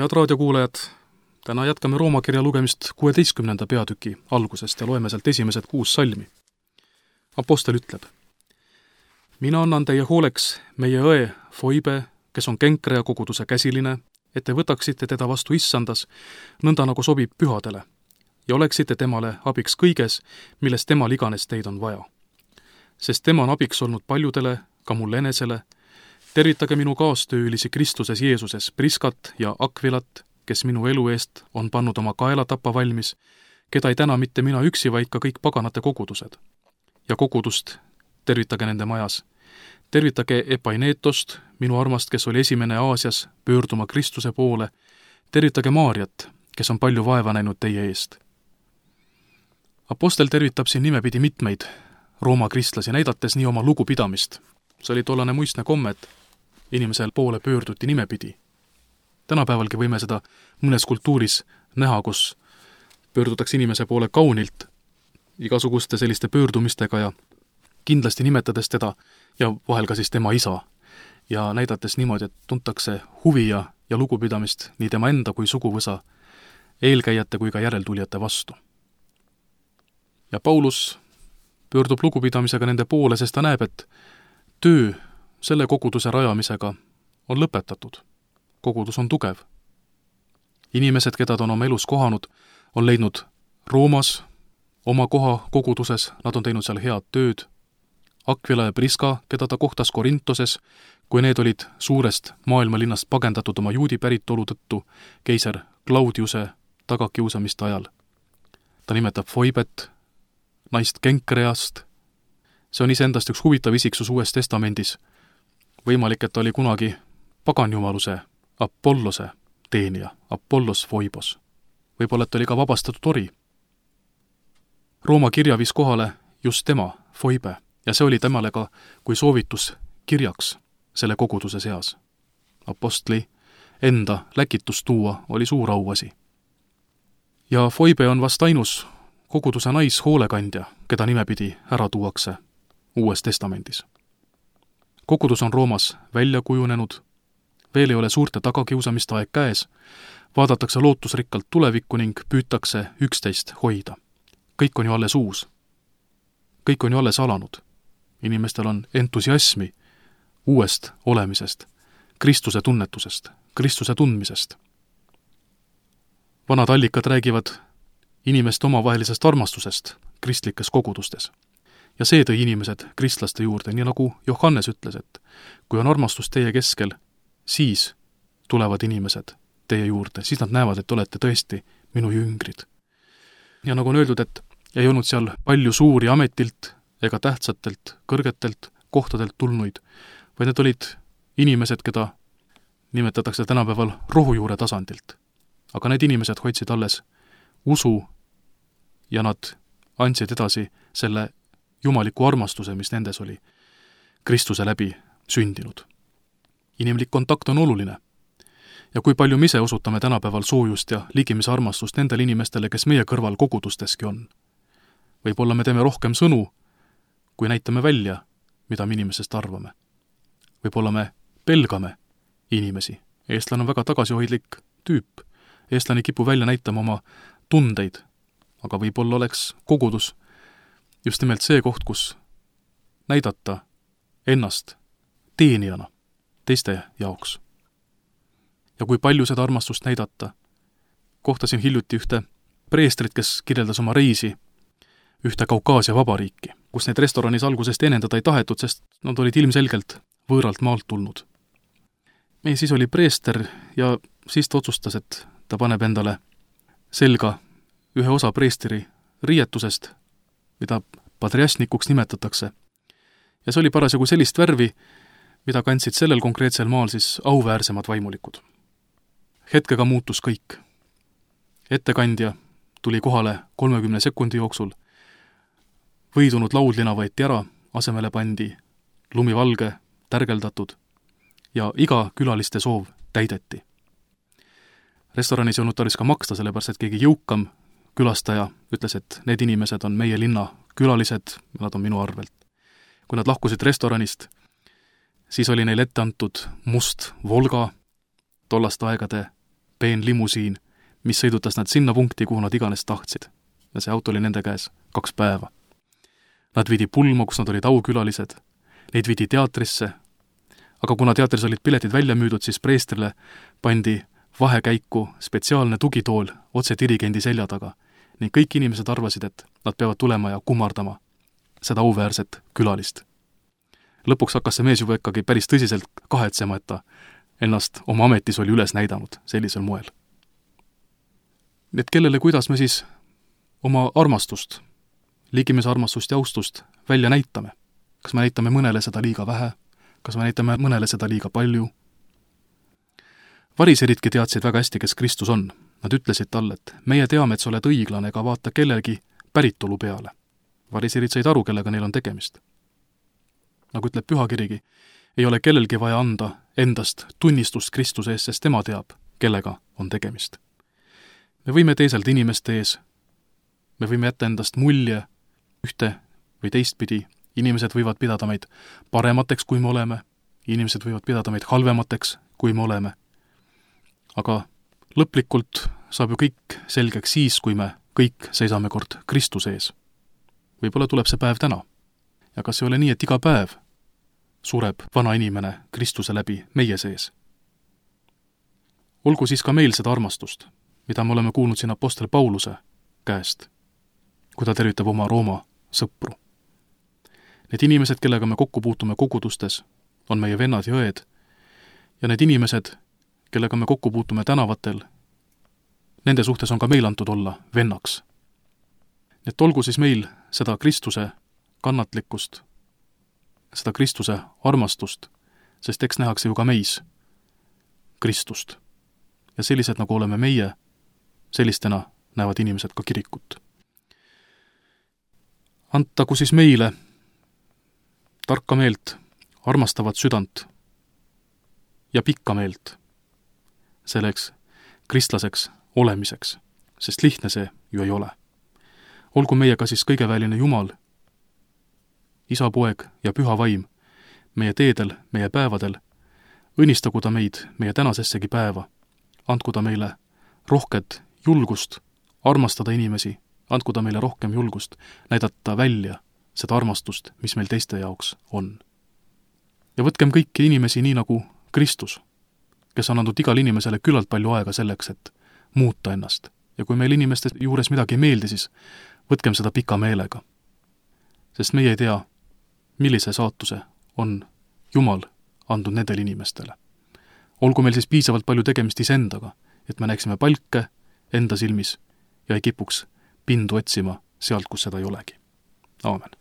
Head raadiokuulajad, täna jätkame Rooma kirja lugemist 16. peatüki algusest ja loeme sealt esimesed 6 salmi. Apostel ütleb: Mina annan teie hooleks meie õe Foibe, kes on Kenkrea koguduse käsiline, et te võtaksite teda vastu issandas, nõnda nagu sobib pühadele, ja oleksite temale abiks kõiges, milles temal iganes teid on vaja. Sest tema on abiks olnud paljudele, ka mulle enesele. Tervitage minu kaastöölisi Kristuses Jeesuses, Priskat ja Akvilat, kes minu elu eest on pannud oma kaela tappa valmis, keda ei täna mitte mina üksi, vaid ka kõik paganate kogudused. Ja kogudust tervitage nende majas. Tervitage Epainetost, minu armast, kes oli esimene Aasias pöörduma Kristuse poole. Tervitage Maarjat, kes on palju vaeva näinud teie eest. Apostel tervitab siin nimepidi mitmeid Rooma kristlasi, näidates nii oma lugupidamist. See oli tollane muistne komme, et inimesel poole pöörduti nimepidi. Tänapäevalgi võime seda mõnes kultuuris näha, kus pöördutakse inimese poole kaunilt, igasuguste selliste pöördumistega ja kindlasti nimetades teda ja vahel ka siis tema isa ja näidates niimoodi, et tuntakse huvi ja lugupidamist nii tema enda kui suguvõsa, eelkäijate kui ka järeltulijate vastu. Ja Paulus pöördub lugupidamisega nende poole, sest ta näeb, et töö selle koguduse rajamisega on lõpetatud. Kogudus on tugev. Inimesed, keda ta on oma elus kohanud, on leidnud Roomas oma koha koguduses, nad on teinud seal head tööd. Akvila ja Priska, keda ta kohtas Korintoses, kui need olid suurest maailmalinnast pagendatud oma juudi päritolu tõttu keiser Claudiuse tagakiusamiste ajal. Ta nimetab Foibet, naist Kenkreast. See on iseendast üks huvitav isiksus Uues Testamendis. Võimalik, et ta oli kunagi paganjumaluse Apollose teenija, Apollos Foibos. Võib-olla, et oli ka vabastatud ori. Rooma kirja viis kohale just tema, Foibe, ja see oli temale ka kui soovitus kirjaks selle koguduse seas. Apostli enda läkitus tuua oli suur auasi. Ja Foibe on vast ainus koguduse naishoolekandja, keda nimepidi ära tuuakse Uues Testamendis. Kogudus on Roomas välja kujunenud, veel ei ole suurte tagakiusamiste aeg käes, vaadatakse lootusrikkalt tulevikku ning püütakse üksteist hoida. Kõik on ju alles uus. Kõik on ju alles alanud. Inimestel on entusiasmi uuest olemisest, Kristuse tunnetusest, Kristuse tundmisest. Vanad allikad räägivad inimeste omavahelisest armastusest kristlikes kogudustes. Ja see tõi inimesed kristlaste juurde, nii nagu Johannes ütles, et kui on armastus teie keskel, siis tulevad inimesed teie juurde, siis nad näevad, et olete tõesti minu jüngrid. Ja nagu on öeldud, et ei olnud seal palju suuri ametilt ega tähtsatelt, kõrgetelt kohtadelt tulnuid, vaid need olid inimesed, keda nimetatakse tänapäeval rohujuure tasandilt. Aga need inimesed hoidsid alles usu ja nad andsid edasi selle jumaliku armastuse, mis nendes oli Kristuse läbi sündinud. Inimlik kontakt on oluline. Ja kui palju me ise osutame tänapäeval soojust ja ligimise armastust nendele inimestele, kes meie kõrval kogudusteski on. Võib-olla me teeme rohkem sõnu, kui näitame välja, mida me inimesest arvame. Võib-olla me pelgame inimesi. Eestlane on väga tagasihoidlik tüüp. Eestlane kipub välja näitama oma tundeid, aga võib-olla oleks kogudus just nimelt see koht, kus näidata ennast teenijana teiste jaoks. Ja kui palju seda armastust näidata, kohtasin hiljuti ühte preestrit, kes kirjeldas oma reisi ühte Kaukaasia vabariiki, kus neid restoranis algusest enendada ei tahetud, sest nad olid ilmselgelt võõralt maalt tulnud. Meie siis oli preester ja siis ta otsustas, et ta paneb endale selga ühe osa preestri riietusest, mida padriasnikuks nimetatakse. Ja see oli parasjagu sellist värvi, mida kandsid sellel konkreetsel maal siis auväärsemad vaimulikud. Hetkega muutus kõik. Ettekandja tuli kohale 30 sekundi jooksul, võidunud laudlina võeti ära, asemele pandi lumivalge, tärgeldatud ja iga külaliste soov täideti. Restoranis ei olnud tarvis ka maksta, sellepärast et keegi jõukam külastaja ütles, et need inimesed on meie linna külalised, nad on minu arvelt. Kui nad lahkusid restoranist, siis oli neil ette antud must Volga, tollaste aegade peen limusiin, mis sõidutas nad sinna punkti, kuhu nad iganes tahtsid. Ja see auto oli nende käes 2 päeva. Nad viidi pulma, kus nad olid aukülalised. Neid viidi teatrisse. Aga kuna teatris olid piletid välja müüdud, siis preestrile pandi vahekäiku spetsiaalne tugitool otse dirigendi selja taga. Ning kõik inimesed arvasid, et nad peavad tulema ja kummardama seda auväärset külalist. Lõpuks hakkas see mees juba ikkagi päris tõsiselt kahetsema, et ta ennast oma ametis oli üles näidanud sellisel moel. Et kellele kuidas me siis oma armastust, liigimise armastust ja austust välja näitame? Kas me näitame mõnele seda liiga vähe? Kas me näitame mõnele seda liiga palju? Variseridki teadsid väga hästi, kes Kristus on. Nad ütlesid talle, et meie teame, et sa oled õiglane ega vaata kellelgi päritolu peale. Variserid said aru, kellega neil on tegemist. Nagu ütleb Pühakirigi, ei ole kellelgi vaja anda endast tunnistust Kristuse ees, sest tema teab, kellega on tegemist. Me võime teiselda inimeste ees, me võime jätta endast mulje ühte või teistpidi, inimesed võivad pidada meid paremateks, kui me oleme, inimesed võivad pidada meid halvemateks, kui me oleme. Aga lõplikult saab ju kõik selgeks siis, kui me kõik seisame kord Kristuse ees. Võib-olla tuleb see päev täna. Ja kas ei ole nii, et iga päev sureb vana inimene Kristuse läbi meie sees? Olgu siis ka meil seda armastust, mida me oleme kuulnud siin apostel Pauluse käest, kui ta tervitab oma Rooma sõpru. Need inimesed, kellega me kokku puutume kogudustes, on meie vennad ja õed, ja need inimesed, kellega me kokku puutume tänavatel, nende suhtes on ka meil antud olla vennaks. Et olgu siis meil seda Kristuse kannatlikkust, seda Kristuse armastust, sest eks nähakse ju ka meis Kristust. Ja sellised, nagu oleme meie, sellistena näevad inimesed ka kirikut. Antagu siis meile tarka meelt, armastavat südant ja pikka meelt selleks kristlaseks olemiseks, sest lihtne see ju ei ole. Olgu meiega siis kõigeväeline Jumal, Isa, Poeg ja Püha Vaim, meie teedel, meie päevadel, õnnistagu ta meid meie tänasessegi päeva, andku ta meile rohket julgust armastada inimesi, andku ta meile rohkem julgust näidata välja seda armastust, mis meil teiste jaoks on. Ja võtkem kõiki inimesi nii nagu Kristus, kes on andnud igal inimesele küllalt palju aega selleks, et muuta ennast. Ja kui meil inimeste juures midagi ei meeldi, siis võtkem seda pika meelega. Sest meie ei tea, millise saatuse on Jumal andnud nendele inimestele. Olgu meil siis piisavalt palju tegemist iseendaga, et me näeksime palke enda silmis ja ei kipuks pindu otsima sealt, kus seda ei olegi. Aamen.